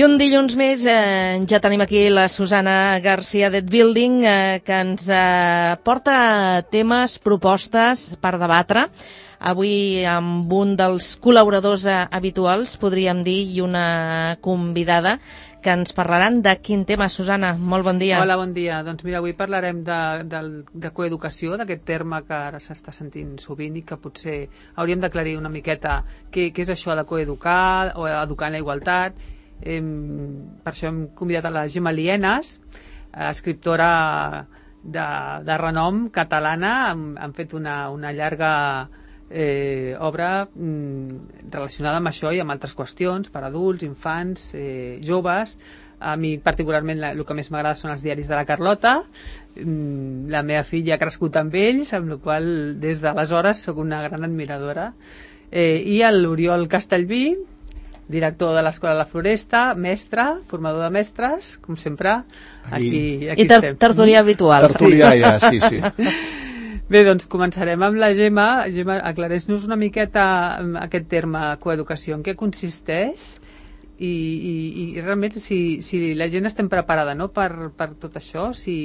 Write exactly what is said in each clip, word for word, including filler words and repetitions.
un dilluns més eh, ja tenim aquí la Susana García d'Ed Building eh, que ens eh, porta temes, propostes per debatre. Avui amb un dels col·laboradors eh, habituals, podríem dir, i una convidada que ens parlaran de quin tema. Susana, molt bon dia. Hola, bon dia. Doncs mira, avui parlarem de, de, de coeducació, d'aquest terme que ara s'està sentint sovint i que potser hauríem d'aclarir una miqueta què, què és això de coeducar o educar en la igualtat. Eh, per això hem convidat a la Gemma Lienas, eh, escriptora de, de renom catalana. Han, han fet una, una llarga eh, obra mm, relacionada amb això i amb altres qüestions per adults, infants, eh, joves. A mi particularment la, el que més m'agrada són els diaris de la Carlota. Mm, la meva filla ha crescut amb ells, amb la qual des d'aleshores sóc una gran admiradora. Eh, I l'Oriol Castellví, director de l'Escola de la Floresta, mestre, formador de mestres, com sempre. Aquí, aquí I ter tertulià habitual. Tertulià, ja, sí, sí. Bé, doncs començarem amb la Gemma. Gemma, aclareix-nos una miqueta aquest terme coeducació, en què consisteix i, i, i realment si, si la gent estem preparada, no?, per, per tot això. Si...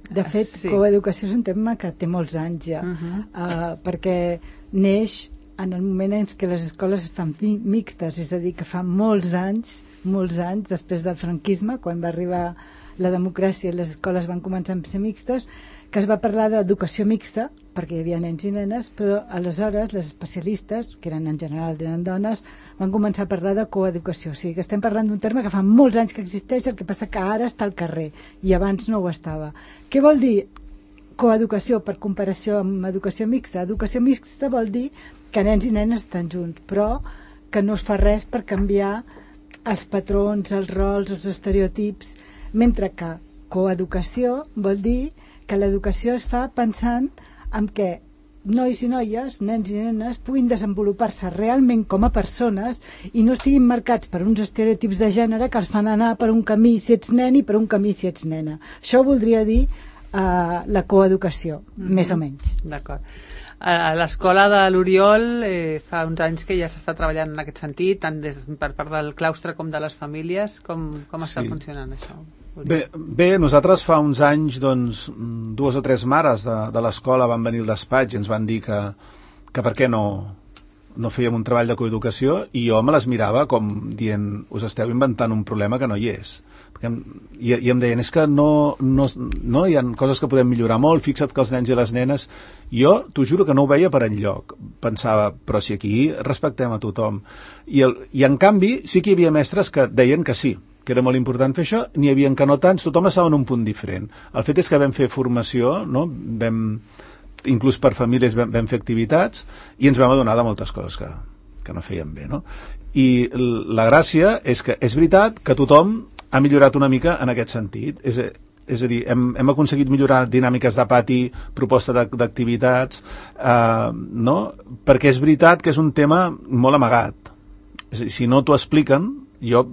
De fet, sí. Coeducació és un tema que té molts anys ja, uh-huh. uh, perquè neix en el moment en què les escoles es fan mixtes, és a dir, que fa molts anys, molts anys, després del franquisme, quan va arribar la democràcia i les escoles van començar a ser mixtes, que es va parlar d'educació mixta, perquè hi havia nens i nenes, però aleshores les especialistes, que eren en general eren dones, van començar a parlar de coeducació. O sigui que estem parlant d'un terme que fa molts anys que existeix, el que passa que ara està al carrer, i abans no ho estava. Què vol dir coeducació per comparació amb educació mixta? Educació mixta vol dir que nens i nenes estan junts, però que no es fa res per canviar els patrons, els rols, els estereotips, mentre que coeducació vol dir que l'educació es fa pensant en què nois i noies, nens i nenes, puguin desenvolupar-se realment com a persones i no estiguin marcats per uns estereotips de gènere que els fan anar per un camí si ets nen i per un camí si ets nena. Això voldria dir uh, la coeducació, mm-hmm. més o menys. D'acord. A l'escola de l'Oriol eh, fa uns anys que ja s'està treballant en aquest sentit, tant des, per part del claustre com de les famílies. Com, com està sí. funcionant això? Bé, bé, nosaltres fa uns anys, doncs, dues o tres mares de, de l'escola van venir al despatx i ens van dir que, que per què no, no fèiem un treball de coeducació, i jo me les mirava com dient, us esteu inventant un problema que no hi és. Em, i, i em deien, és que no, no, no hi ha coses que podem millorar molt, fixa't que els nens i les nenes, jo t'ho juro que no ho veia per enlloc, pensava, però si aquí respectem a tothom, i, el, i en canvi sí que hi havia mestres que deien que sí, que era molt important fer això, n'hi havia que no tants, tothom estava en un punt diferent. El fet és que vam fer formació, no? Vam, inclús per famílies vam, vam fer activitats i ens vam adonar de moltes coses que, que no feien bé, no? I la gràcia és que és veritat que tothom ha millorat una mica en aquest sentit. És, és a dir, hem, hem aconseguit millorar dinàmiques de pati, proposta d'activitats, eh, no? Perquè és veritat que és un tema molt amagat. És a dir, si no t'ho expliquen, jo,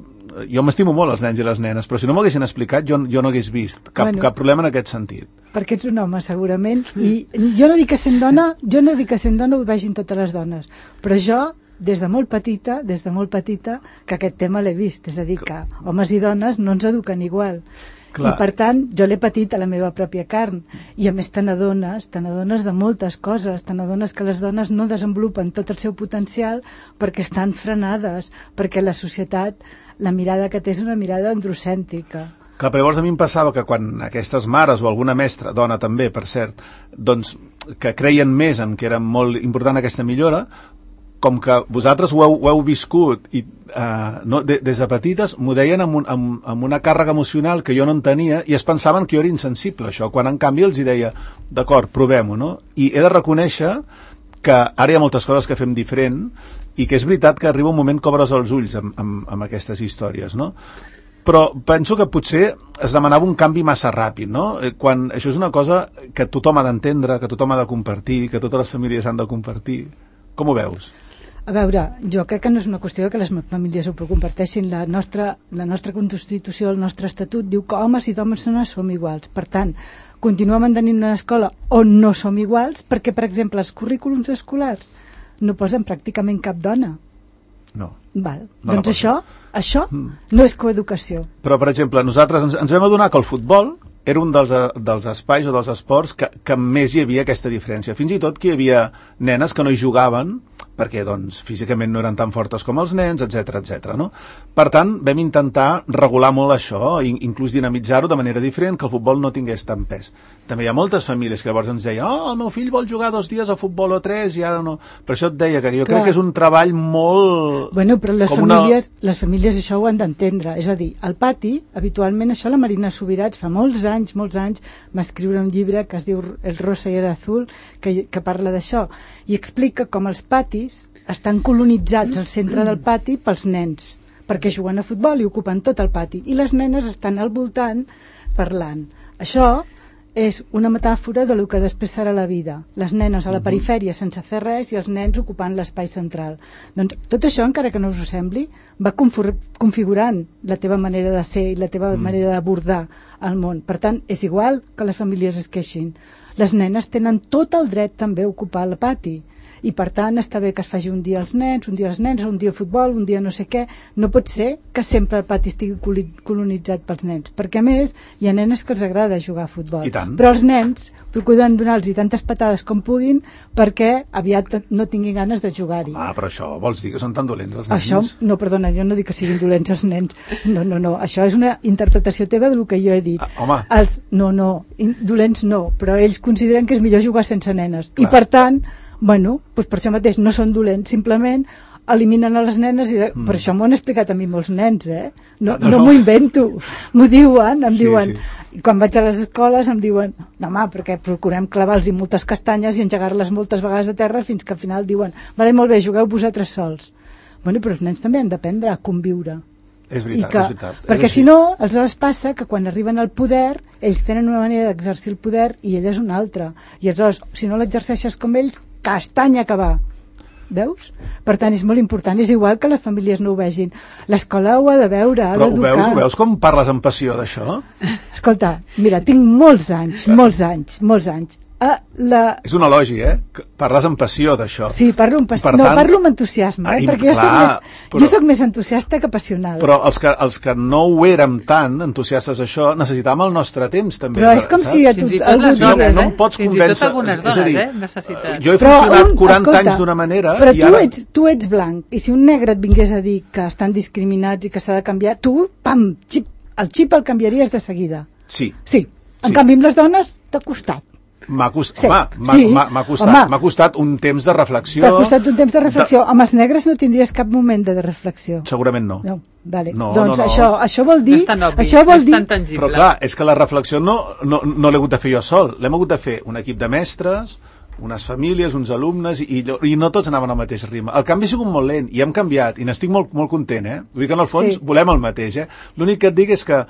jo m'estimo molt els nens i les nenes, però si no m'ho haguessin explicat jo, jo no hagués vist cap, bueno, cap problema en aquest sentit. Perquè ets un home, segurament, i jo no dic que sent dona, jo no dic que sent dona ho vegin totes les dones, però jo des de molt petita, des de molt petita, que aquest tema l'he vist, és a dir, que homes i dones no ens eduquen igual. Clar. I per tant, jo l'he patit a la meva pròpia carn, i a més te n'adones, te n'adones de moltes coses, te n'adones que les dones no desenvolupen tot el seu potencial perquè estan frenades, perquè la societat, la mirada que té és una mirada androcèntrica. Clar, però llavors a mi em passava que quan aquestes mares o alguna mestra, dona també, per cert, doncs que creien més en que era molt important aquesta millora, com que vosaltres ho heu, ho heu viscut i uh, no, de, des de petites m'ho deien amb, un, amb, amb una càrrega emocional que jo no en tenia i es pensaven que jo era insensible a això, quan en canvi els hi deia d'acord, provem-ho, no? I he de reconèixer que ara hi ha moltes coses que fem diferent i que és veritat que arriba un moment que obres els ulls amb, amb, amb aquestes històries, no? Però penso que potser es demanava un canvi massa ràpid, no? Quan això és una cosa que tothom ha d'entendre, que tothom ha de compartir, que totes les famílies han de compartir. Com ho veus? A veure, jo crec que no és una qüestió que les famílies ho comparteixin. La nostra, la nostra Constitució, el nostre Estatut diu que homes i dones som iguals. Per tant, continuem mantenint una escola on no som iguals perquè, per exemple, els currículums escolars no posen pràcticament cap dona. No. Val. No doncs això, això mm. no és coeducació. Però, per exemple, nosaltres ens, ens vam adonar que el futbol era un dels, dels espais o dels esports que, que més hi havia aquesta diferència. Fins i tot que hi havia nenes que no hi jugaven perquè doncs, físicament no eren tan fortes com els nens, etcètera, etcètera. No? Per tant, vam intentar regular molt això, inclús dinamitzar-ho de manera diferent, que el futbol no tingués tant pes. També hi ha moltes famílies que llavors ens deien oh, el meu fill vol jugar dos dies a futbol o tres i ara no. Per això et deia que jo Clar. crec que és un treball molt... Bueno, però les famílies, una... les famílies això ho han d'entendre. És a dir, al pati, habitualment, això la Marina Subirats fa molts anys, molts anys, va escriure un llibre que es diu El rosa i el azul, que, que parla d'això, i explica com els patis estan colonitzats al centre del pati pels nens, perquè juguen a futbol i ocupen tot el pati, i les nenes estan al voltant parlant. Això és una metàfora de lo que després serà la vida. Les nenes a la perifèria sense fer res i els nens ocupant l'espai central. Doncs tot això, encara que no us ho sembli, va configurant la teva manera de ser i la teva mm. manera d'abordar el món. Per tant, és igual que les famílies es queixin. Les nenes tenen tot el dret també a ocupar el pati. I per tant està bé que es faci un dia als nens, un dia als nens, un dia a futbol, un dia no sé què. No pot ser que sempre el pati estigui colonitzat pels nens, perquè a més hi ha nenes que els agrada jugar a futbol, però els nens procuren donar-los tantes patades com puguin perquè aviat no tinguin ganes de jugar-hi. Ah, però això vols dir que són tan dolents els nens? Això, no, perdona, jo no dic que siguin dolents els nens, no, no, no, això és una interpretació teva del que jo he dit. Ah, home. Els, no, no, dolents no, però ells consideren que és millor jugar sense nenes. Clar. I per tant, bueno, doncs per això mateix no són dolents, simplement eliminen a les nenes i de... mm. per això m'ho han explicat a mi molts nens, eh? No, no, no m'ho invento, m'ho diuen, em sí, diuen, sí. Quan vaig a les escoles em diuen, no home, perquè procurem clavar-los moltes castanyes i engegar-les moltes vegades a terra fins que al final diuen, vale, molt bé, jugueu vosaltres sols. Bueno, però els nens també han d'aprendre a conviure. És veritat, que, és veritat. Perquè és si no, aleshores passa que quan arriben al poder, ells tenen una manera d'exercir el poder i ella és una altra. I aleshores, si no l'exerceixes com ells, castanya que va. Veus? Per tant, és molt important. És igual que les famílies no ho vegin. L'escola ho ha de veure, ha d'educar. Però ho veus, ho veus com parles amb passió d'això? Escolta, mira, tinc molts anys, molts anys, molts anys. Ah, la... És un elogi, eh? Parles amb passió d'això. Sí, parlo amb passió. No, tant... parlo amb entusiasme, eh? perquè jo soc, més, però... jo soc més entusiasta que passional. Però els que, els que no ho érem tant entusiastes d'això, necessitàvem el nostre temps, també. Però és com saps? Si a tu... Algú no, no, no em pots Fins convèncer... Fins i tot algunes dones, dir, eh? Necessiten. Jo he funcionat un, quaranta escolta, anys d'una manera... Però i tu, ara... ets, tu ets blanc, i si un negre et vingués a dir que estan discriminats i que s'ha de canviar, tu, pam, xip, el xip el canviaries de seguida. Sí. Sí. En sí. canvi, amb les dones, t'ha costat. M'ha cost... sí. sí. costat, costat un temps de reflexió. T'ha costat un temps de reflexió. De... Amb els negres no tindries cap moment de reflexió. Segurament no. No, vale. no doncs no, no. Això, això vol dir... No és tan obvi, això vol no és dir... tan tangible. Però clar, és que la reflexió no, no, no l'he hagut de fer jo sol. L'hem hagut de fer un equip de mestres, unes famílies, uns alumnes, i, i no tots anaven al mateix ritme. El canvi ha sigut molt lent, i hem canviat, i n'estic molt, molt content, eh? Vull dir que en el fons sí. volem el mateix, eh? L'únic que et dic és que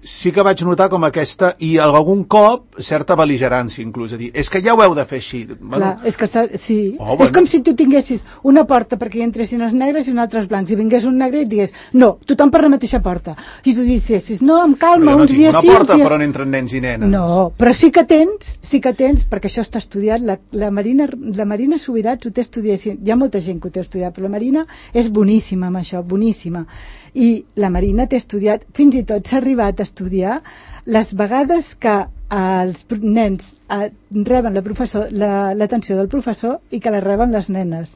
sí que vaig notar com aquesta, i algun cop certa bel·ligerància inclús, a dir, és que ja ho heu de fer així. Bueno, clar, és que sí. Oh, és bueno. Com si tu tinguessis una porta perquè hi entressin els negres i una altra els blancs, i vingués un negre i et digués, no, tothom per la mateixa porta, i tu diguessis, no, amb calma, no uns dies sí, una porta dies... per on entren nens i nenes. No, però sí que tens, sí que tens, perquè això està estudiat, la, la, Marina, la Marina Subirats ho té estudiat, hi ha molta gent que ho té estudiat, però la Marina és boníssima amb això, boníssima. I la Marina té estudiat, fins i tot s'ha arribat a estudiar les vegades que els nens eh, reben la professor, la, l'atenció del professor i que la reben les nenes.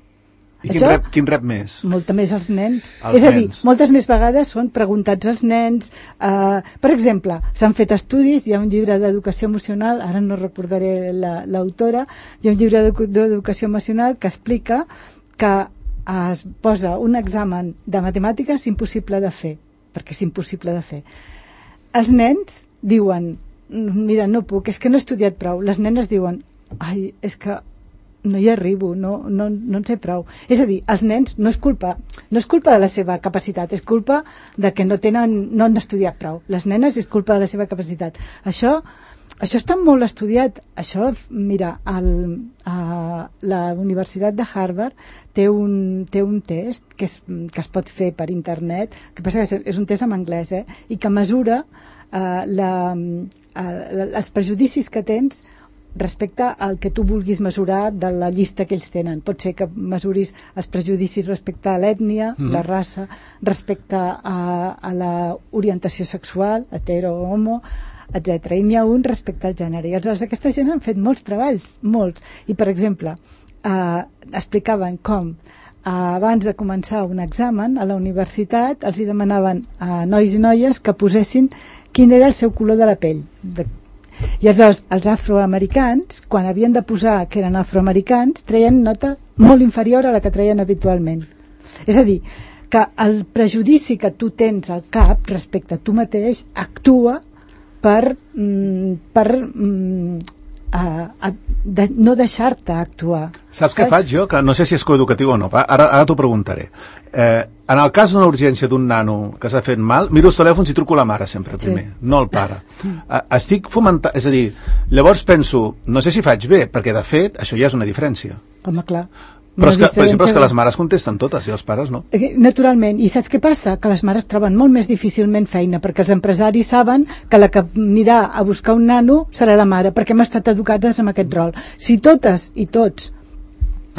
I quin rep, quin rep més? Molta més els nens. Els és a dir, nens. moltes més vegades són preguntats als nens. Eh, per exemple, s'han fet estudis, hi ha un llibre d'educació emocional, ara no recordaré la, l'autora, hi ha un llibre d'educació emocional que explica que es posa un examen de matemàtiques impossible de fer, perquè és impossible de fer. Els nens diuen, mira, no puc, és que no he estudiat prou. Les nenes diuen, ai, és que no hi arribo, no, no, no en sé prou. És a dir, els nens no és culpa, no és culpa de la seva capacitat, és culpa de que no tenen, no han estudiat prou. Les nenes és culpa de la seva capacitat. Això, això està molt estudiat. Això, mira, el, a la Universitat de Harvard té un, té un test que es, que es pot fer per internet, que passa que és un test en anglès, eh? I que mesura eh, la, eh, els prejudicis que tens respecte al que tu vulguis mesurar de la llista que ells tenen. Pot ser que mesuris els prejudicis respecte a l'ètnia, mm. la raça, respecte a, a la orientació sexual, hetero o homo, etcètera. I n'hi ha un respecte al gènere. I aleshores aquesta gent han fet molts treballs, molts. I, per exemple, eh, explicaven com abans de començar un examen a la universitat els hi demanaven a nois i noies que posessin quin era el seu color de la pell. De... I aleshores els afroamericans, quan havien de posar que eren afroamericans, treien nota molt inferior a la que treien habitualment. És a dir, que el prejudici que tu tens al cap respecte a tu mateix actua per, mm, per mm, a, a, de, no deixar-te actuar. Saps, Saps què faig jo? Que no sé si és coeducatiu o no. Ara, ara t'ho preguntaré. Eh, en el cas d'una urgència d'un nano que s'ha fet mal, miro els telèfons i truco la mare sempre primer, sí. no el pare. Eh, estic fomentant... És a dir, llavors penso, no sé si faig bé, perquè de fet això ja és una diferència. Home, clar. Però és que, per exemple, és que les mares contesten totes i els pares no. Naturalment. I saps què passa? Que les mares troben molt més difícilment feina, perquè els empresaris saben que la que anirà a buscar un nano serà la mare, perquè hem estat educades amb aquest rol. Si totes i tots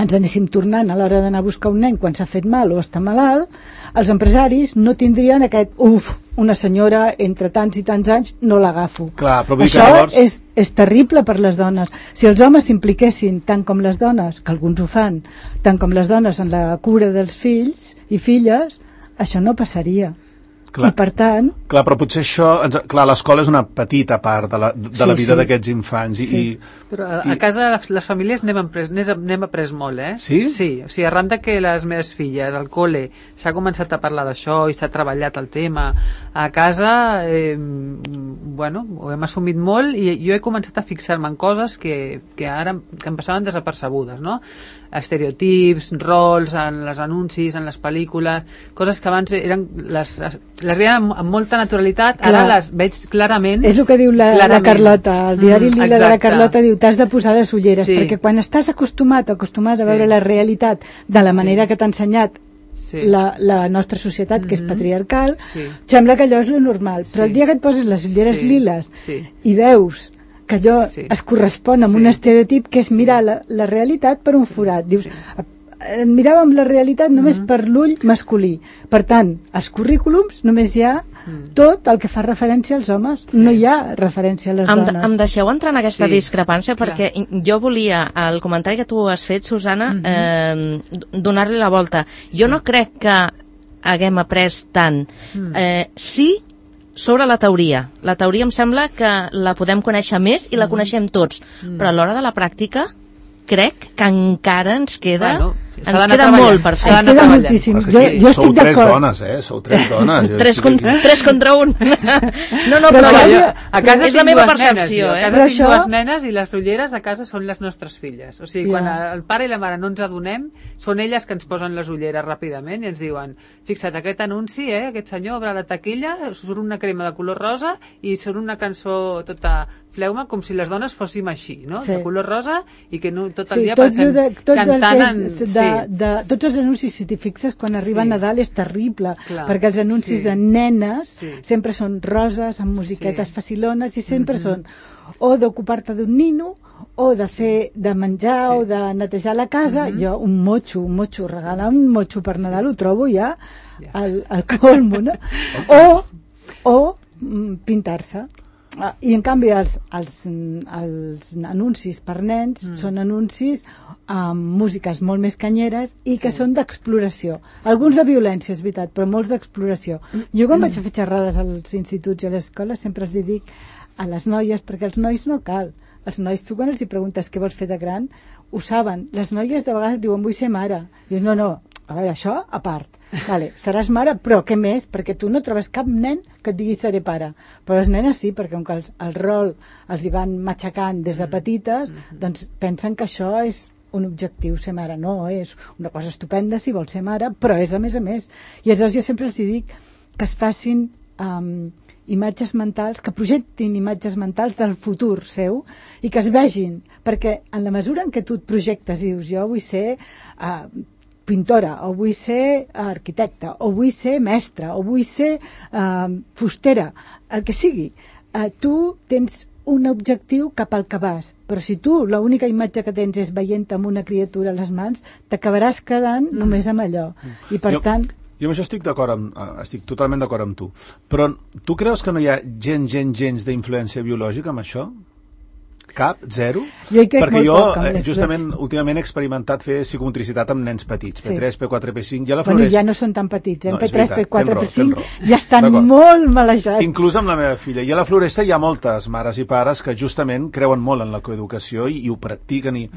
ens anéssim tornant a l'hora d'anar a buscar un nen quan s'ha fet mal o està malalt, els empresaris no tindrien aquest uf, una senyora entre tants i tants anys no l'agafo. Clar, però això llavors... és, és terrible per les dones. Si els homes s'impliquessin tant com les dones, que alguns ho fan, tant com les dones en la cura dels fills i filles, això no passaria. Clar, i per tant... Clar, però potser això... Clar, l'escola és una petita part de la, de sí, la vida sí. d'aquests infants. I, sí. i, però a, a casa les, les famílies n'hem après, n'hem après molt, eh? Sí? Sí, o sigui, arran de que les meves filles al col·le s'ha començat a parlar d'això i s'ha treballat el tema, a casa eh, bueno, ho hem assumit molt i jo he començat a fixar-me en coses que, que ara que em passaven desapercebudes, no? Estereotips, rols en les anuncis, en les pel·lícules, coses que abans eren les, les veien amb, amb molta naturalitat. Clar. Ara les veig clarament. És el que diu la, la Carlota, el diari mm, Lila de la Carlota diu t'has de posar les ulleres, sí. perquè quan estàs acostumat acostumat sí. a veure la realitat de la manera sí. que t'ha ensenyat sí. la, la nostra societat, que mm-hmm. és patriarcal, sí. sembla que allò és lo normal, però sí. el dia que et poses les ulleres sí. liles sí. i veus que allò sí. es correspon amb sí. un estereotip que és mirar la, la realitat per un forat. Dius, sí. miràvem la realitat només mm-hmm. per l'ull masculí. Per tant, als currículums només hi ha mm. tot el que fa referència als homes. Sí. No hi ha referència a les em, dones. Em deixeu entrar en aquesta sí. discrepància perquè Clar. jo volia, al comentari que tu has fet, Susana, mm-hmm. eh, donar-li la volta. Jo no crec que haguem après tant. Mm. Eh, sí, sobre la teoria. La teoria em sembla que la podem conèixer més i la coneixem tots, mm. però a l'hora de la pràctica crec que encara ens queda bueno, ens queda molt per fer. Ens queda moltíssim. Jo, jo estic sou tres dones, eh? Sou tres dones. tres, contra, tres contra un. No, no, però, però jo, a casa és la meva percepció. Nenes, eh? A casa però tinc això... dues nenes i les ulleres a casa són les nostres filles. O sigui, yeah. quan el pare i la mare no ens adonem, són elles que ens posen les ulleres ràpidament i ens diuen, fixa't, aquest anunci, eh? aquest senyor obre la taquilla, surt una crema de color rosa i surt una cançó tota fleuma, com si les dones fóssim així, no? Sí. De color rosa i que no, tot el sí, dia tot passem de, tot cantant en... De, de, de, tots els anuncis, si t'hi fixes, quan arriba sí. Nadal és terrible, Clar. perquè els anuncis sí. de nenes sí. sempre són roses, amb musiquetes sí. facilones, i sempre mm-hmm. són o d'ocupar-te d'un nino, o de fer de menjar, sí. o de netejar la casa. Mm-hmm. Jo, un motxo, un motxo, regalar un motxo per Nadal ho trobo ja al, al colmo, no? O, o pintar-se. Ah, i en canvi els, els, els anuncis per nens mm. són anuncis amb músiques molt més canyeres i que sí. són d'exploració, alguns de violència és veritat, però molts d'exploració. Jo quan mm. vaig a fer xerrades als instituts i a les escoles sempre els dic a les noies, perquè els nois no cal, els nois tu quan els hi preguntes què vols fer de gran ho saben, les noies de vegades diuen vull ser mare, dius no, no, a veure, això a part. Vale, seràs mare, però què més? Perquè tu no trobes cap nen que et digui seré pare. Però les nenes sí, perquè com que el, el rol els hi van matxacant des de petites, mm-hmm. doncs pensen que això és un objectiu, ser mare. No, és una cosa estupenda si vols ser mare, però és a més a més. I aleshores jo sempre els dic que es facin um, imatges mentals, que projectin imatges mentals del futur seu i que es vegin, perquè en la mesura en què tu et projectes i dius jo vull ser... Uh, pintora, o vull ser arquitecte, o vull ser mestra, o vull ser eh, fustera, el que sigui. Eh, tu tens un objectiu cap al que vas, però si tu l'única imatge que tens és veient amb una criatura a les mans, t'acabaràs quedant mm. només amb allò. I per jo, tant... Jo amb això estic d'acord amb, estic totalment d'acord amb tu. Però tu creus que no hi ha gens, gens, gens d'influència biològica amb això? Cap? Zero? Jo hi crec Perquè molt jo, poc, eh, justament, últimament he experimentat fer psicomotricitat amb nens petits, sí. P tres, P quatre, P cinc, ja la floreix... Bueno, ja no són tan petits, eh? No, P tres, veritat, P quatre, P cinc, raó, ja estan molt malejats. Inclús amb la meva filla. I a la Floresta hi ha moltes mares i pares que justament creuen molt en la coeducació i, i ho practiquen i...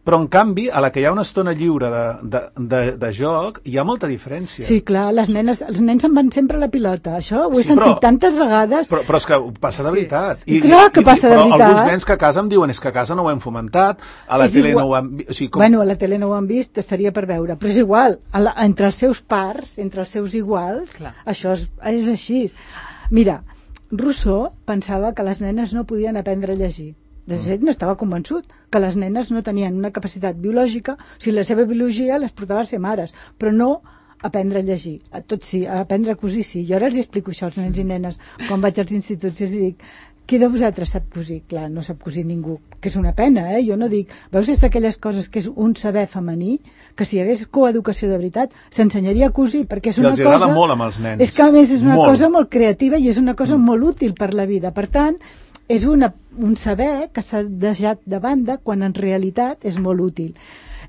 Però, en canvi, a la que hi ha una estona lliure de, de, de, de joc, hi ha molta diferència. Sí, clar, les nenes, els nens se'n van sempre a la pilota. Això ho he sí, sentit però, tantes vegades. Però, però és que passa de veritat. I, I clar que passa de però veritat. Però alguns nens que a casa em diuen és que a casa no ho hem fomentat, a la és tele igual. no ho han vist... O sigui, com... Bueno, a la tele no ho han vist, estaria per veure. Però és igual, a la, entre els seus pars, entre els seus iguals, clar. Això és, és així. Mira, Rousseau pensava que les nenes no podien aprendre a llegir. De fet, no estava convençut que les nenes no tenien una capacitat biològica, o sigui, la seva biologia les portava a ser mares, però no aprendre a llegir. A tot sí, a aprendre a cosir sí. Jo ara els explico això als nens i nenes quan vaig als instituts i els dic: qui de vosaltres sap cosir? Clar, no sap cosir ningú, que és una pena, eh? Jo no dic... Veus, és d'aquelles coses que és un saber femení, que si hi hagués coeducació de veritat, s'ensenyaria a cosir, perquè és una cosa... I els agrada molt amb els nens. És que, a més, és una molt. cosa molt creativa i és una cosa mm. molt útil per la vida. Per tant, és una, un saber que s'ha deixat de banda quan en realitat és molt útil.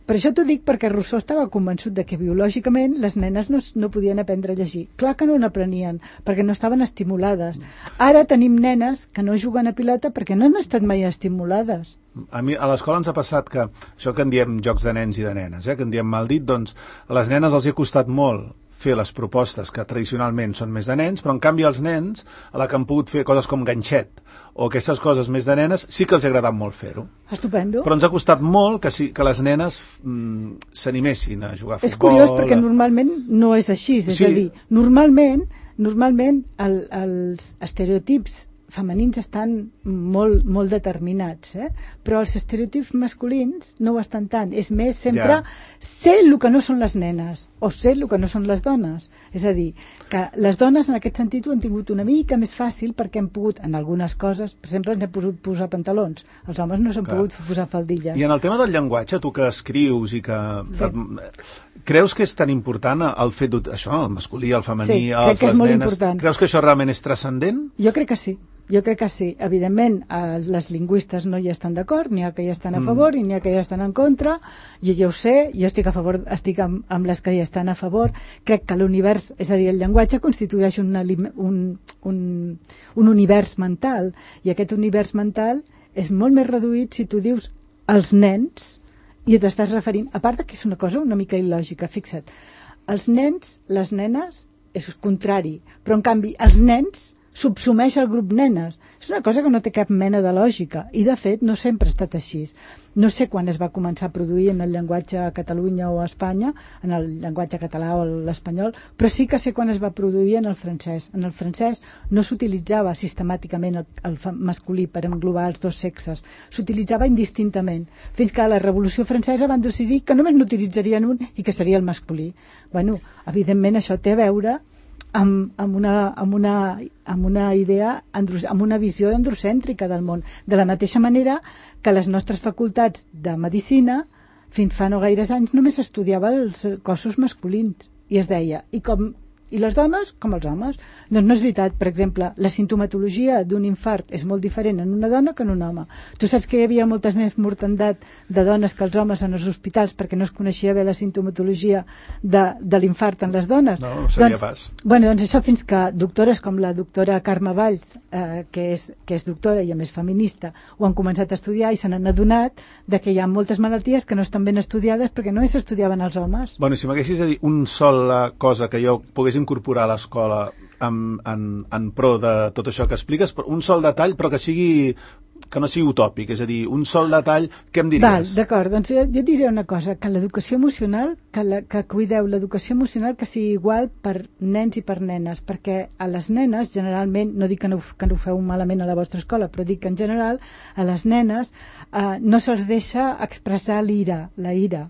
Per això t'ho dic perquè Rousseau estava convençut de que biològicament les nenes no, no podien aprendre a llegir. Clar que no n'aprenien, perquè no estaven estimulades. Ara tenim nenes que no juguen a pilota perquè no han estat mai estimulades. A mi a l'escola ens ha passat que, això que en diem jocs de nens i de nenes, eh, que en diem mal dit, doncs a les nenes els hi ha costat molt fer les propostes que tradicionalment són més de nens, però en canvi els nens, a la que han pogut fer coses com ganxet o aquestes coses més de nenes, sí que els ha agradat molt fer-ho. Estupendo. Però ens ha costat molt que, sí, que les nenes mm, s'animessin a jugar a futbol. És curiós perquè normalment no és així, és sí. a dir, normalment, normalment el, els estereotips femenins estan molt, molt determinats, eh? Però els estereotips masculins no ho estan tant. És més, sempre ja. Ser el que no són les nenes o ser el que no són les dones. És a dir, que les dones en aquest sentit ho han tingut una mica més fàcil perquè hem pogut, en algunes coses, per exemple, ens hem pogut posar pantalons. Els homes no s'han pogut posar faldilles. I en el tema del llenguatge, tu que escrius i que... Sí. Creus que és tan important el fet d'això, el masculí, el femení, sí, els, les nenes? Important. Creus que això realment és transcendent? Jo crec que sí. Jo crec que sí. Evidentment, eh, les lingüistes no hi estan d'acord, n'hi ha que hi estan a favor mm. i n'hi ha que hi estan en contra, i jo ho sé, jo estic a favor, estic amb, amb les que hi estan a favor. Crec que l'univers, és a dir, el llenguatge constitueix un, un, un, un univers mental, i aquest univers mental és molt més reduït si tu dius els nens, i t'estàs referint, a part que és una cosa una mica il·lògica, fixa't, els nens, les nenes, és contrari, però en canvi els nens subsumeix el grup nenes. És una cosa que no té cap mena de lògica i de fet no sempre ha estat així. No sé quan es va començar a produir en el llenguatge a Catalunya o a Espanya, en el llenguatge català o l'espanyol, però sí que sé quan es va produir en el francès. En el francès no s'utilitzava sistemàticament el, el masculí per englobar els dos sexes, s'utilitzava indistintament, fins que a la Revolució Francesa van decidir que només n'utilitzarien un i que seria el masculí. Bueno, evidentment això té a veure Amb, amb, una, amb, una, amb una idea, amb una visió androcèntrica del món. De la mateixa manera que les nostres facultats de medicina, fins fa no gaires anys, només estudiava els cossos masculins. I es deia, i com i les dones com els homes. Doncs no és veritat. Per exemple, la sintomatologia d'un infart és molt diferent en una dona que en un home. Tu saps que hi havia moltes més mortandat de dones que els homes en els hospitals perquè no es coneixia bé la sintomatologia de, de l'infart en les dones? No, no sabia doncs, pas. Bueno, doncs això fins que doctores com la doctora Carme Valls, eh, que, és, que és doctora i a més feminista, ho han començat a estudiar i se n'han adonat de que hi ha moltes malalties que no estan ben estudiades perquè no s'estudiaven els homes. Bueno, si m'haguessis de dir un sol cosa que jo pogués incorporar a l'escola en, en, en pro de tot això que expliques, un sol detall però que sigui que no sigui utòpic, és a dir, un sol detall, què em diries? Val, d'acord, doncs jo, jo diré una cosa, que l'educació emocional, que, la, que cuideu l'educació emocional que sigui igual per nens i per nenes, perquè a les nenes generalment, no dic que no, que no ho feu malament a la vostra escola, però dic que en general a les nenes eh, no se'ls deixa expressar l'ira, la ira.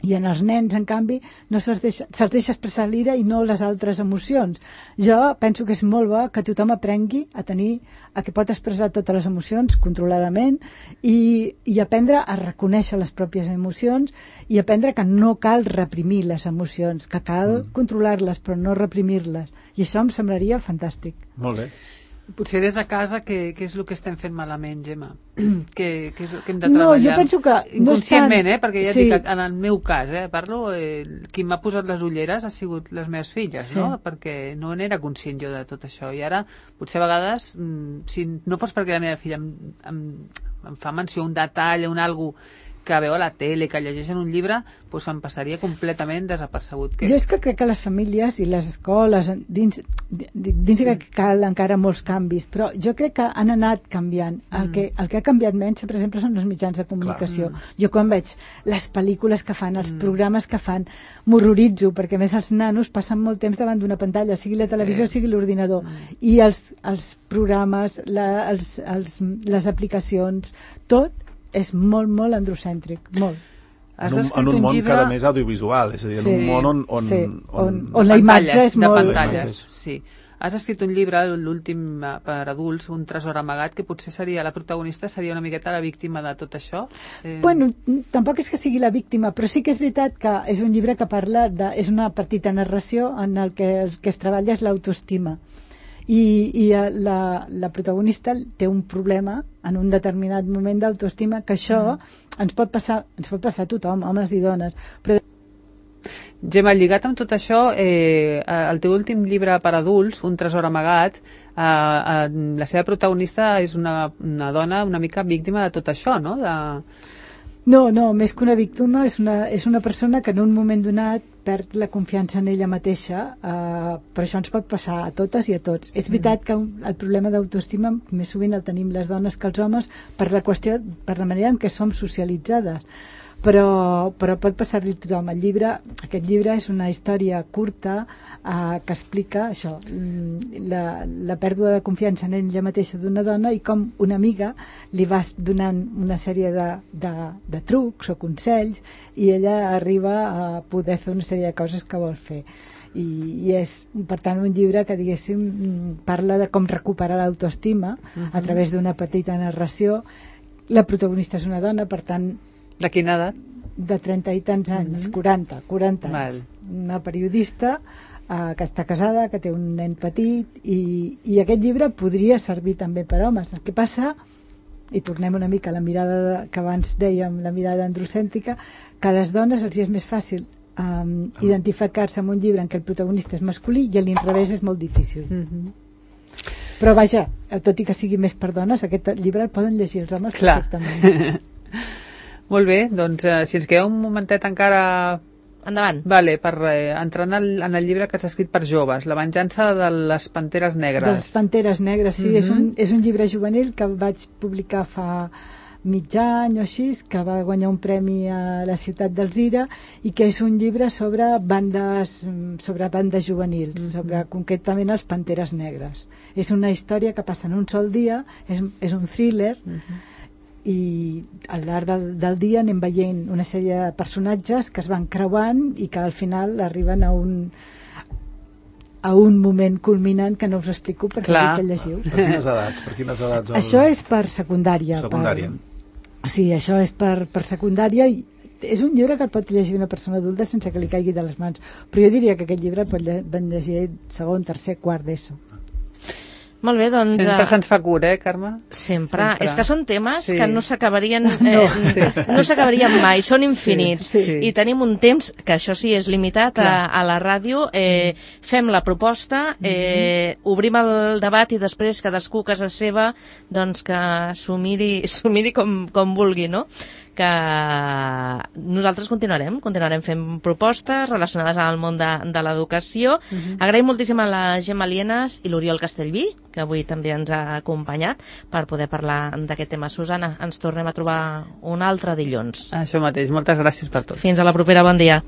I en els nens, en canvi, no se'ls deixa, se'ls deixa expressar l'ira i no les altres emocions. Jo penso que és molt bo que tothom aprengui a tenir, a que pot expressar totes les emocions controladament i, i aprendre a reconèixer les pròpies emocions i aprendre que no cal reprimir les emocions, que cal mm. controlar-les però no reprimir-les. I això em semblaria fantàstic. Molt bé. Potser des de casa, què, què és el que estem fent malament, Gemma? què, què és el que hem de treballar? No, jo penso que... Inconscientment, no eh? Perquè ja sí. dic, en el meu cas, eh? Parlo, eh, qui m'ha posat les ulleres ha sigut les meves filles, sí. no? Perquè no n'era conscient jo de tot això. I ara, potser a vegades, si no fos perquè la meva filla em, em, em fa menció un detall, un algo que veu a la tele, que llegeixen un llibre, doncs em passaria completament desapercebut. Que... Jo és que crec que les famílies i les escoles, dins, dins que cal encara molts canvis, però jo crec que han anat canviant. El, mm. que, el que ha canviat menys, per exemple, són els mitjans de comunicació. Mm. Jo quan veig les pel·lícules que fan, els mm. programes que fan, m'horroritzo, perquè a més els nanos passen molt temps davant d'una pantalla, sigui la televisió, sí. sigui l'ordinador. Mm. I els, els programes, la, els, els, les aplicacions, tot és molt, molt androcèntric, molt. En un, en un, un món llibre... cada més audiovisual, és a dir, en sí, un món on... On, sí, on, on, on la imatge és molt... De pantalles, sí. Has escrit un llibre, l'últim per adults, Un tresor amagat, que potser seria la protagonista, seria una miqueta la víctima de tot això? Eh... Bueno, tampoc és que sigui la víctima, però sí que és veritat que és un llibre que parla de... és una petita narració en el que el que es treballa és l'autoestima. I, i la, la protagonista té un problema en un determinat moment d'autoestima, que això mm. ens pot passar ens pot passar a tothom, homes i dones. Però... Gemma, lligat amb tot això, eh, el teu últim llibre per adults, Un tresor amagat, eh, eh, la seva protagonista és una, una dona una mica víctima de tot això, no? De... No, no, més que una víctima, és una, és una persona que en un moment donat perd la confiança en ella mateixa, eh, però això ens pot passar a totes i a tots. És veritat que el problema d'autoestima més sovint el tenim les dones que els homes per la qüestió, per la manera en què som socialitzades. Però, però pot passar-li a tothom. El llibre, aquest llibre és una història curta eh, que explica això, la, la pèrdua de confiança en ella mateixa d'una dona i com una amiga li va donant una sèrie de, de, de trucs o consells i ella arriba a poder fer una sèrie de coses que vol fer. I, i és, per tant, un llibre que, diguéssim, parla de com recuperar l'autoestima uh-huh. a través d'una petita narració. La protagonista és una dona, per tant, de quina edat? De trenta i tants anys, mm-hmm. quaranta, quaranta anys. Val. Una periodista eh, que està casada, que té un nen petit i, i aquest llibre podria servir també per homes. El que passa, i tornem una mica a la mirada de, que abans dèiem, la mirada androcèntrica, que a les dones els és més fàcil eh, oh. identificar-se amb un llibre en què el protagonista és masculí i a l'inrevés és molt difícil. Mm-hmm. Però vaja, tot i que sigui més per dones, aquest llibre el poden llegir els homes Clar. perfectament. Molt bé, doncs eh, si ens queda un momentet encara... Endavant. Vale, per eh, entrar en el, en el llibre que s'ha escrit per joves, La venjança de les panteres negres. De les panteres negres, sí. Mm-hmm. és, un, és un llibre juvenil que vaig publicar fa mig any o així, que va guanyar un premi a la ciutat d'Alzira i que és un llibre sobre bandes, sobre bandes juvenils, mm-hmm. sobre concretament els panteres negres. És una història que passa en un sol dia, és, és un thriller, mm-hmm. i al llarg del, del dia anem veient una sèrie de personatges que es van creuant i que al final arriben a un a un moment culminant que no us explico perquè dic que el llegiu. Per quines edats? Per quines edats el... Això és per secundària. Secundària. Per... Sí, això és per, per secundària i és un llibre que el pot llegir una persona adulta sense que li caigui de les mans. Però jo diria que aquest llibre el pot llegir segon, tercer, quart d'ESO. Molt bé, doncs... Sempre se'ns fa cura, eh, Carme? Sempre. sempre. És que són temes sí. que no s'acabarien eh, no, sí. no s'acabarien mai, són infinits. Sí, sí. I tenim un temps, que això sí és limitat a, a la ràdio, eh, fem la proposta, eh, mm-hmm. obrim el debat i després cadascú a casa seva doncs que s'ho miri, s'ho miri com, com vulgui, no? Que nosaltres continuarem, continuarem fent propostes relacionades amb el món de, de l'educació. Uh-huh. Agraïm moltíssim a la Gemma Lienas i l'Oriol Castellví, que avui també ens ha acompanyat per poder parlar d'aquest tema. Susana, ens tornem a trobar un altre dilluns. Això mateix, moltes gràcies per tot. Fins a la propera, bon dia.